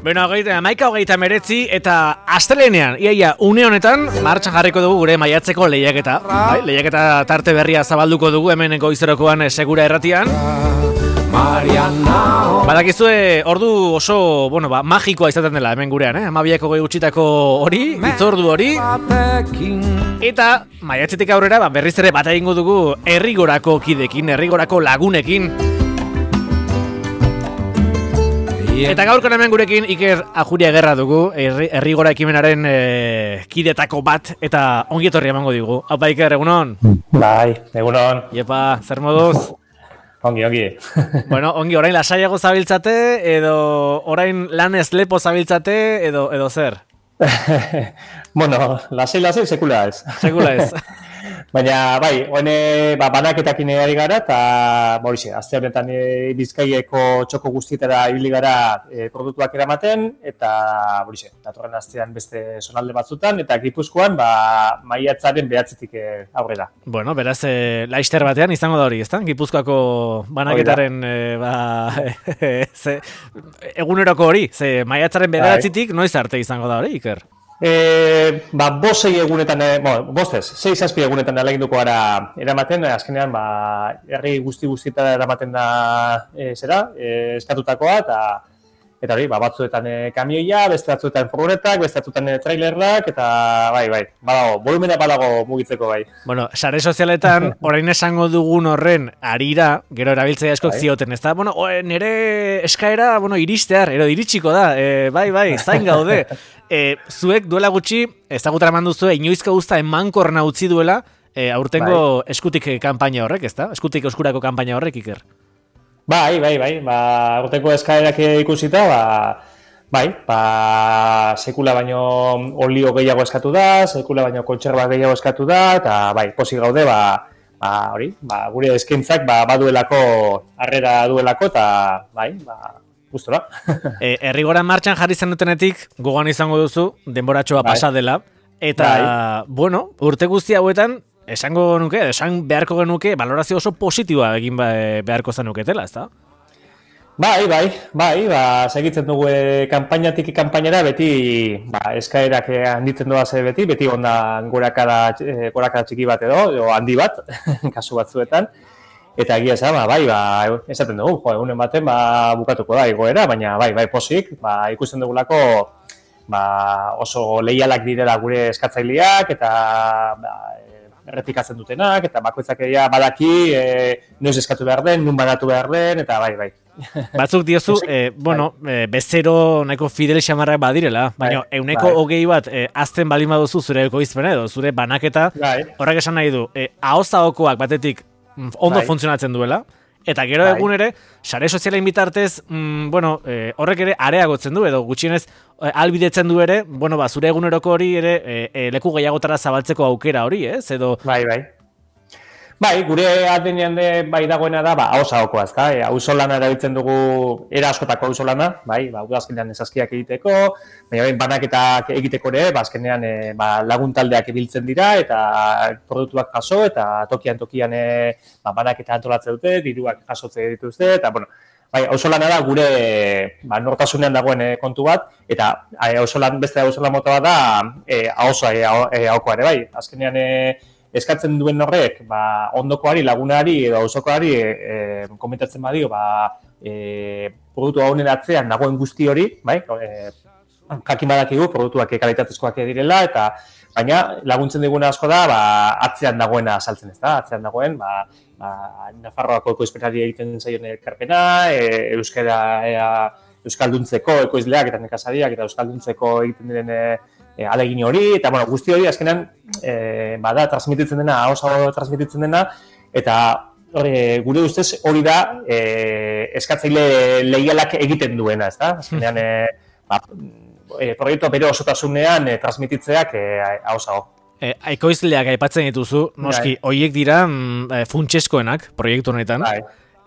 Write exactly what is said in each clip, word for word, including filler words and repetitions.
Bueno, amaika hogeita meretzi eta astelenean, iaia, une honetan, martxan jarriko dugu gure maiatzeko lehiaketa. Bai, lehiaketa tarte berria zabalduko dugu hemen goizerokoan segura erratian. Badakizue, ordu oso, bueno, ba, magikoa izaten dela hemen gurean, eh? Amabiako goi gutxitako hori, itzordu hori. Eta maiatzetik aurrera, ba, berriz ere bat egingo dugu herrigorako kidekin, herrigorako lagunekin. Eta gaurko hemen gurekin Iker Ajuria Gerra dugu, herrigora ekimenaren e, kidetako bat, eta ongi etorri emango digu. Haupa Iker, egunon? Bai, egunon. Iepa, zer moduz? Ongi, ongi. Bueno, ongi, orain lasaiago zabiltzate, edo orain lanez lepo zabiltzate, edo, edo zer? Bueno, lasai, lasai, sekula ez. Sekula ez. Baina, bai, hoene, ba, banaketakin ari gara, eta, borixe, azte honetan e, Bizkaieko txoko guztietara ibili gara e, produktuak eramaten, eta, borixe, datorren astean beste zonalde batzutan, eta Gipuzkoan, ba, maiatzaren behatzetik e, aurrera. Bueno, beraz, e, laister batean izango da hori, ezta? Gipuzkoako banaketaren, e, ba, ze, eguneroko hori, ze maiatzaren behatzetik noiz arte izango da hori, Iker? E, ba, bost sei egunetan, e, bueno, bostez, sei zazpi egunetan aleginduko gara eramaten, azkenean, ba, herri guzti-guztietara eramaten da, e, zera, e, eskatutakoa, eta, eta hori, ba, batzuetan e, kamioia, beste batzuetan furgonetak, beste batzuetan e, trailerrak, eta, bai, bai, badago, volumena badago mugitzeko, bai. Bueno, sare sozialetan, orain esango dugun horren arira, gero erabiltzaile askok bai. Zioten, ez da? Bueno, nire eskaera, bueno, iristear, ero iritsiko da, e, bai, bai, zain gaude. E, zuek duela gutxi, ezagutara manduzue, inoizko guzta emankorna utzi duela, e, aurtengo bai. Eskutik kanpaina horrek, ez da? Eskutik oskurako kanpaina horrek, Iker? Bai, bai, bai, ba, aurtengo eskaerak ikusita, ba, bai, ba, sekula baino olio gehiago eskatu da, sekula baino kontserba gehiago eskatu da, eta bai, pozik gaude, ba, ba, hori, ba, gure eskaintzak ba, baduelako, harrera duelako, eta bai, ba, gustora. e, Herrigora martxan jarri zenutenetik, gogoan izango duzu, denboratxoa bai. Pasa dela, eta, bai. Bueno, urte guzti hauetan, esango nuke, esan beharko genuke, balorazio oso positiboa egin beharko zenuketela, ez da? Bai, bai, bai, ba, segitzen dugu e, kanpainatik kanpainara beti ba, eskaerak handitzen doa ze beti, beti onda gorakada, e, gorakada txiki bat edo, edo handi bat, kasu batzuetan. Eta egia esan, ba, bai, ba, esaten dugu, jo, egunen baten ba, bukatuko da egoera, baina bai, bai, posik, ba, ikusten dugulako ba, oso leialak direla gure eskatzaileak, eta ba, errepikatzen dutenak, eta bakoitzak egia badaki, e, noiz eskatu behar den, nun banatu behar den, eta bai, bai. Batzuk diozu, e, bueno, e, bezero nahiko fidel xamarrak badirela, baina bai, euneko bai. Hogei bat e, azten balin baduzu zure ekoizpena edo, zure banaketa, bai. Horrek esan nahi du, e, ahozaokoak batetik, ondo bai. Funtzionatzen duela, eta gero bai. Egun ere, sare sozialen bitartez, mm, bueno, e, horrek ere areagotzen du, edo gutxienez e, albidetzen du ere, bueno, ba, zure eguneroko hori ere e, e, leku gehiagotara zabaltzeko aukera hori, ez? Edo... Bai, bai. Bai, gure adenean de bai dagoena da, ba, hauzaokoa, ezta? E, auzolana erabiltzen dugu, era askotako auzolana, bai, ba, udazkenean esaskiak egiteko, baina bain banaketak egiteko ere, ba, azkenean e, ba, laguntaldeak ibiltzen dira, eta produktuak jaso, eta tokian tokian e, ba, banaketa antolatzen dute, diruak jasotze dituzte, eta, bueno, bai, auzolana da gure ba, nortasunean dagoen e, kontu bat, eta auzolan, beste auzolan mota bat da, e, ahozoa, e, ahokoa ere, bai, azkenean e, eskatzen duen horrek, ba, ondokoari, lagunari edo auzokoari e, e, komentatzen badio, ba, e, produktu honen atzean dagoen guzti hori, bai, e, jakin badakigu, produktuak kalitatezkoak direla, eta baina laguntzen diguna asko da, ba, atzean dagoena saltzen ez da, atzean dagoen, ba, ba, Nafarroako ekoizpenari egiten zaion ekarpena, e, euskara, e, euskalduntzeko ekoizleak eta nekazariak eta euskalduntzeko egiten diren e, E, alegin hori, eta bueno, guzti hori azkenan e, bada transmititzen dena, ahosago transmititzen dena, eta hori, gure ustez hori da e, eskatzaile leialak egiten duena, ez da? Azkenean, e, ba, e, proiektua bere osotasunean e, transmititzeak e, ahosago. E, ekoizleak aipatzen dituzu, noski, horiek dira mm, funtseskoenak proiektu honetan. Bai.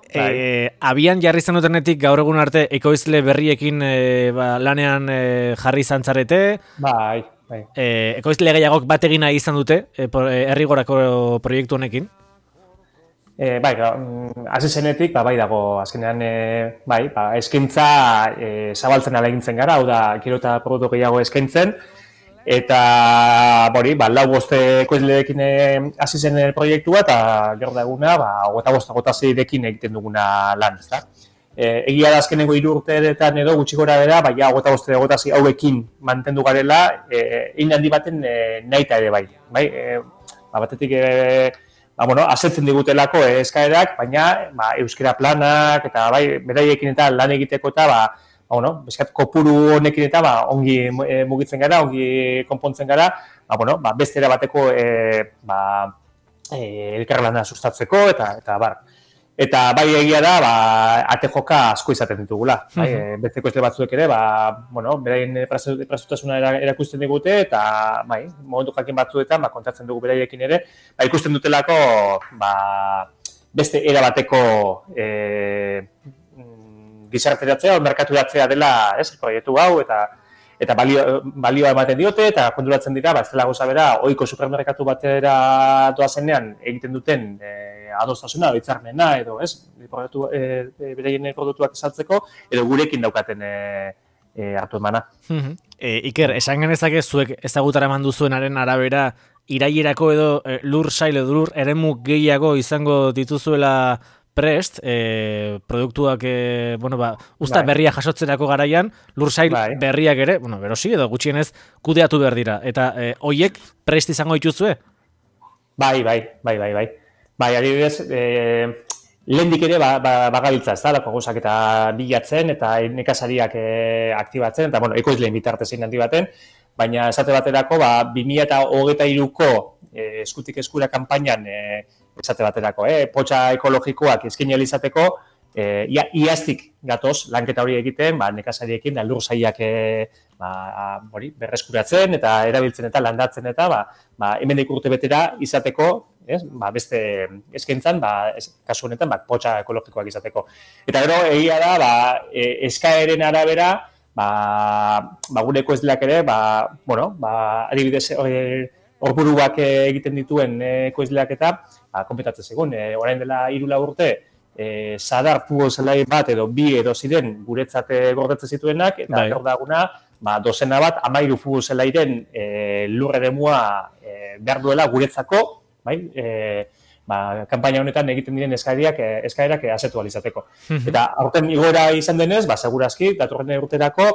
E, abian jarri zenutenetik gaur egun arte ekoizle berriekin e, ba, lanean e, jarri zantzarete. Bai, bai. E, ekoizle gehiagok bat egina izan dute e, Herrigorako proiektu honekin. E, bai, hasi zenetik, ba, bai dago, azkenean, e, bai, ba, eskaintza e, zabaltzen alegintzen gara, hau da, gero eta produktu gehiago eskaintzen, eta, bori, ba, lau boste ekoizleekin hasi zen proiektua, eta gero da eguna, ba, gota bosta gota zeirekin egiten duguna lan, ez da. E, egia da azkenengo hiru urteetan edo gutxi gora bera, bai, gota boste gota zei hauekin mantendu garela, e, egin handi baten e, nahita ere bai, bai, e, ba, batetik, e, Ba, bueno, asetzen digutelako eh, eskaerak, baina ba, euskera planak eta bai, beraiekin eta lan egiteko eta ba, ba, bueno, beskat kopuru honekin eta ba, ongi e, mugitzen gara, ongi konpontzen gara, ba, bueno, ba, beste era bateko e, ba, e, elkarlana sustatzeko eta eta bar. Eta bai egia da, ba, ate joka asko izaten ditugula. Bai, mm-hmm. Beste ekoizle batzuek ere, ba, bueno, beraien prestutasuna erakusten digute eta bai, momentu jakin batzuetan ba, kontatzen dugu beraiekin ere, ba, ikusten dutelako ba, beste era bateko e, gizarteratzea o merkaturatzea dela, ez, proiektu hau eta eta balio, balioa ematen diote eta konturatzen dira, ba, ez dela gauza bera, ohiko supermerkatu batera doazenean egiten duten e, adostasuna, hitzarmena edo, ez, produktu, e, beraien produktuak esaltzeko, edo gurekin daukaten e, e, hartu emana. e, Iker, esan genezake zuek ezagutara eman duzuenaren arabera, irailerako edo e, lur sail edo lur eremu gehiago izango dituzuela prest, e, produktuak, e, bueno, ba, usta bai. Berria jasotzerako garaian, lursail bai. Berriak ere, bueno, berosi edo gutxienez kudeatu behar dira. Eta e, hoiek prest izango dituzue? Bai, bai, bai, bai, bai. Bai, adibidez, e, lehendik ere ba, ba, bagabiltza, ez da, lako gauzak eta bilatzen eta nekazariak e, aktibatzen, eta, bueno, ekoizleen bitartez egin handi baten, baina esate baterako, ba, bi mila hogeita hiruko e, eskutik eskura kanpainan e, esate baterako, eh? Potxa ekologikoak eskaini ahal izateko, eh, ia, iaztik gatoz lanketa hori egiten, ba, nekazariekin, da, lur sailak eh, ba, hori, berreskuratzen eta erabiltzen eta landatzen eta ba, ba, hemendik urte betera izateko, ez? Ba, beste eskaintzan, ba, ez, kasu honetan, ba, potxa ekologikoak izateko. Eta gero, egia da, ba, e, eskaeren arabera, ba, ba, gure ekoizleak ere, ba, bueno, ba, adibidez, orburuak egiten dituen ekoizleak eta ba, konpetatzen segun. E, orain dela hiru lau urte, e, Sadar futbol zelai bat edo bi edo ziren guretzat gordetzen zituenak, eta gaur daguna, ba, dozena bat, hamairu futbol zelairen e, lur eremua e, behar duela guretzako, bai, e, ba, kanpaina honetan egiten diren eskaerak, eskaerak asetu alizateko. Eta aurten igora izan denez, ba, segurazki, datorren urterako,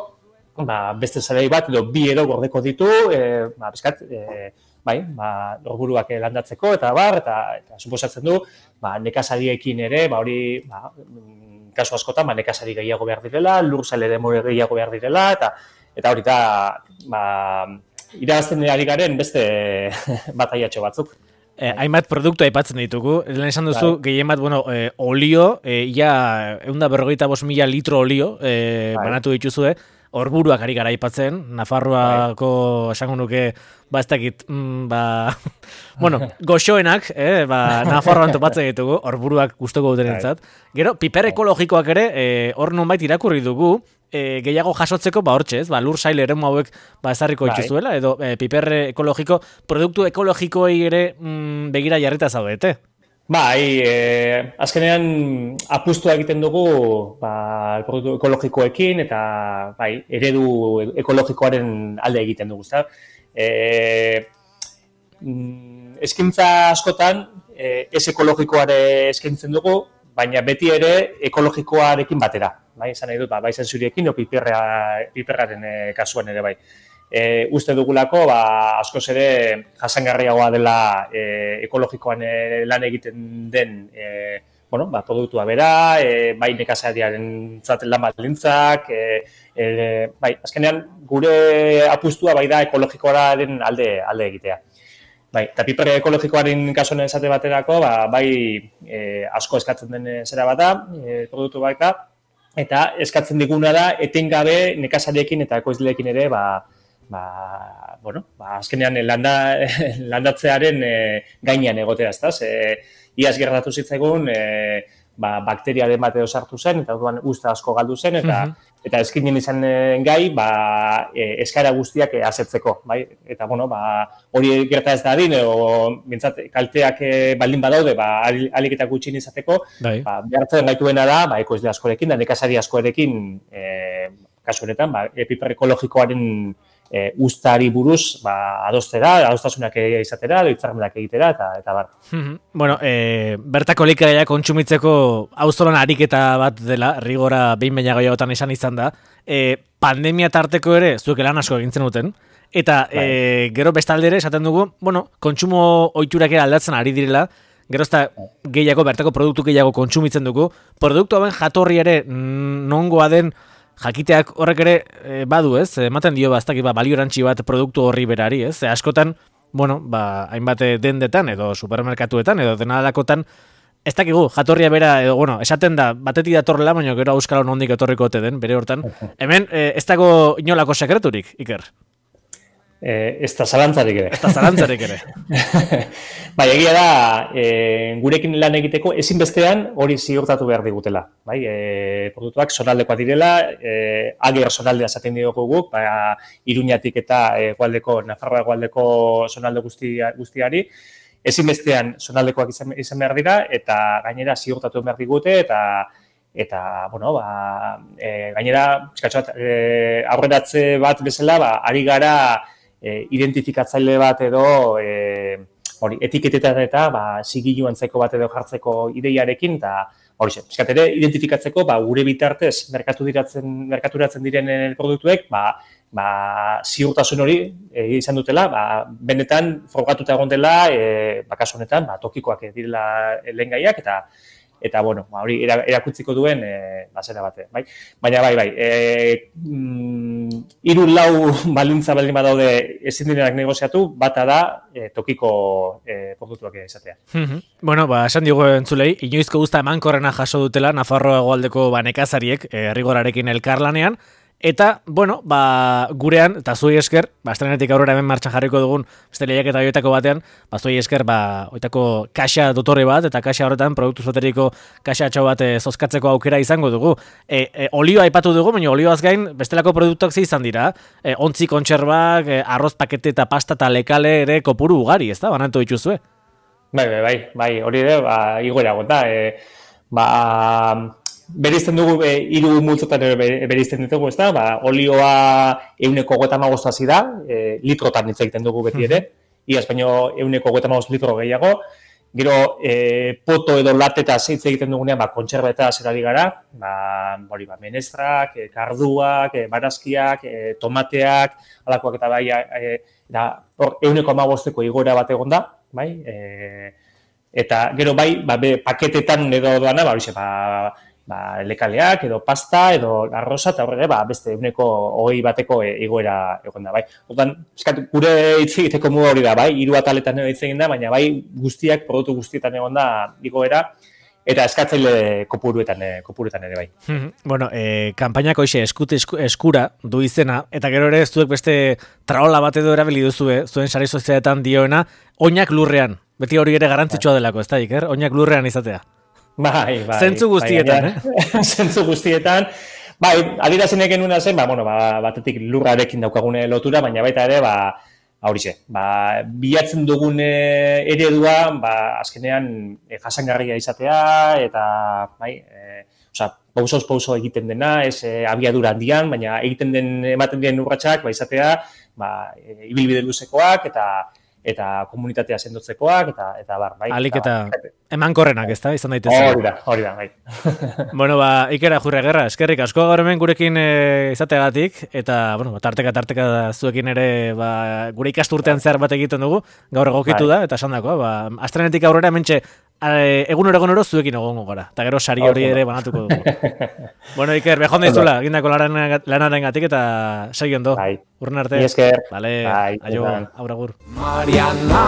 ba, beste zelai bat edo bi edo gordeko ditu, e, ba, bizkat, e, bai, ba, orburuak landatzeko eta bar, eta, eta suposatzen du, ba, nekazariekin ere, ba, hori, ba, kasu askotan, ba, nekazari gehiago behar direla, lur sail ere gehiago behar direla, eta eta hori da, ba, irabazten ari garen beste bataiatxo batzuk. Eh, hainbat produktu aipatzen ditugu, lehen esan duzu, bai. Gehien bat, bueno, eh, olio, eh, ja, ehun eta berrogeita bost mila litro olio, eh, bai. Banatu dituzue, orburuak ari gara aipatzen, Nafarroako bai. Esango nuke, ba ez dakit, mm, ba, bueno, goxoenak, eh, ba, Nafarroan topatzen ditugu, orburuak gustoko dutenentzat. Gero, piper ekologikoak ere, eh, hor nonbait irakurri dugu, e, gehiago jasotzeko, ba hortxe ez, ba, lur sail eremu hauek ba, ezarriko ituzuela, edo e, piper ekologiko, produktu ekologikoei ere mm, begira jarrita zaudete. Bai, e, azkenean apustu egiten dugu ba, produktu ekologikoekin eta bai, eredu ekologikoaren alde egiten dugu. E, eskintza askotan e, ez ekologikoare eskintzen dugu, baina beti ere ekologikoarekin batera. Bai, izan nahi dut, ba, bai zentzuriekin o piperra, piperraren e, kasuan ere bai. E, uste dugulako, ba, askoz ere jasangarriagoa dela e, ekologikoan e, lan egiten den e, bueno, ba, produktua bera, e, bai nekazariaren zaten lan baldintzak, e, e, bai, azkenean gure apustua bai da ekologikoaren alde, alde egitea. Bai, eta piper ekologikoaren kasuan esate baterako, ba, bai e, asko eskatzen den zera bat da, e, produktu baita, eta eskatzen diguna da etengabe nekazariekin eta ekoizleekin ere, ba, ba, bueno, ba, azkenean landa, landatzearen e, gainean egotea, ezta? E, iaz gertatu zitzaigun, e, ba, bakteriaren bat edo sartu zen, eta orduan usta asko galdu zen, eta, mm-hmm. eta eskinen izan gai, ba, e, eskara guztiak e, asetzeko, bai? Eta, bueno, ba, hori gerta ez da din, o, bintzat, kalteak e, baldin badaude, ba, alik eta gutxin izateko, bai. Ba, behartzen gaituena da, ba, ekoizle askorekin, da nekazari askorekin, e, kasu honetan, ba, piper ekologikoaren e, ustari buruz, ba, adostera, adostasunak izatera, hitzarmenak egitera, eta, eta bar. Bueno, e, bertako elikagaia kontsumitzeko auzolan ariketa bat dela, rigora behin baina gehiagotan esan izan da, e, pandemia tarteko ere zuek lan asko egintzen duten, eta bai. e, gero bestalde ere esaten dugu, bueno, kontsumo ohiturak ere aldatzen ari direla, gero ezta gehiago, bertako produktu gehiago kontsumitzen dugu, produktu hauen jatorri ere nongoa den jakiteak horrek ere e, badu, ez? Ematen dio baztak ba, balio erantzi bat produktu horri berari, ez? E, askotan, bueno, ba, hainbat dendetan edo supermerkatuetan edo denadakotan ez dakigu, jatorria bera, edo, bueno, esaten da, batetik datorrela, baina gero auskalo nondik etorriko ote den, bere hortan. Hemen, e, ez dago inolako sekreturik, Iker? Eh, ez da zalantzarik ere. Ez da zalantzarik ere. Bai, egia da, e, gurekin lan egiteko ezinbestean hori ziurtatu behar digutela. Bai, e, produktuak zonaldekoa direla, e, ager zonaldea esaten diogu guk, ba, Iruñatik eta egualdeko, Nafarroa egualdeko zonalde guztia, guztiari, ezinbestean zonaldekoak izan, izan behar dira, eta gainera ziurtatu behar digute, eta eta, bueno, ba, e, gainera, eskatxo bat, e, aurreratze bat bezala, ba, ari gara, E, identifikatzaile bat edo e, hori, etiketetan eta ba, sigilu antzeko bat edo jartzeko ideiarekin, eta hori zen, eskat ere, identifikatzeko ba, gure bitartez merkatu diratzen, merkaturatzen diren produktuek, ba, ba, ziurtasun hori e, izan dutela, ba, benetan frogatuta egon dela, e, ba, kasu honetan, ba, tokikoak direla lehen gaiak, eta eta, bueno, hori erakutziko duen e, basera bate, bai? Baina, bai, bai, e, mm, hiru lau balintza baldin badaude ezin direnak negoziatu, bata da e, tokiko e, produktuak izatea. Bueno, ba, esan digu entzulei, inoizko guzta emankorrena jaso dutela Nafarroa hegoaldeko ba, nekazariek, e, Rigorarekin elkarlanean, eta, bueno, ba, gurean, eta zuei esker, ba, estrenetik aurrera hemen martxan jarriko dugun, beste lehiak eta joetako batean, ba, zuei esker, ba, oitako kaxa dotore bat, eta kaxa horretan, produktu zoteriko kaxa atxau bat e, zozkatzeko aukera izango dugu. E, e, olioa aipatu dugu, baina olioaz gain, bestelako produktuak ze izan dira, e, ontzi kontserbak, e, arroz pakete eta pasta eta lekale ere kopuru ugari, ez da, banatu dituzue? Bai, bai, bai, bai, hori ere, ba, igoera gota, e, ba, berizten dugu, e, hiru multzotan berizten ditugu, ez da, ba, olioa euneko hogeita hamabost hasi da, e, litrotan hitz egiten dugu beti ere, iaz baino euneko hogeita hamabost litro gehiago, gero, e, poto edo lateta hitz egiten dugunean, ba, kontserbeta zerari gara, ba, hori, ba, menestrak, e, karduak, e, barazkiak, e, tomateak, alakoak eta bai, e, da, hor, euneko hamabosteko igoera bat egon da, bai, e, eta gero bai, ba, be, paketetan edo doana, ba, hori, ba, ba, lekaleak, edo pasta, edo arroza, eta horre, ba, beste eguneko hogei bateko igoera egon da, bai. Hortan, eskat, gure hitz egiteko muga hori da, bai, hiru ataletan hitz egin da, baina bai, guztiak, produktu guztietan egon da igoera, eta eskatzaile kopuruetan, kopuruetan ere, bai. Bueno, eh, kanpainak hoxe eskut eskura du izena, eta gero ere zuek beste traola bat edo erabili duzue, zuen sare sozialetan dioena, oinak lurrean. Beti hori ere garrantzitsua delako, ez da, Iker? Oinak lurrean izatea. Bai, bai. Zentzu guztietan, bai, eh? Zentzu guztietan. Bai, adierazien genuna zen, ba, bueno, ba, batetik lurrarekin daukagune lotura, baina baita ere, ba, horixe, ba, bilatzen dugun eredua, ba, azkenean e, jasangarria izatea, eta, bai, e, oza, pausoz pauso egiten dena, ez e, abiadura handian, baina egiten den, ematen dien urratsak, ba, izatea, ba, e, ibilbide luzekoak, eta eta komunitatea sendotzekoak, eta, eta bar, bai. Alik eta emankorrenak, ez da, izan daitezen. Hori da, hori da, bai. Bueno, ba, Iker Ajurriagerra, eskerrik asko gaur hemen gurekin e, izateagatik, eta, bueno, tarteka, tarteka zuekin ere, ba, gure ikasturtean zehar bat egiten dugu, gaur egokitu bai. Da, eta esan dakoa, ba, astrenetik aurrera mentxe, egunero egunero zuekin egongo gara, eta gero sari hori ere banatuko dugu. Bueno, Iker, behon daizula, egindako lanaren gatik, eta segi ondo. Bai. Urren arte. Esker. Vale, bai, aio, auragur. Mariana.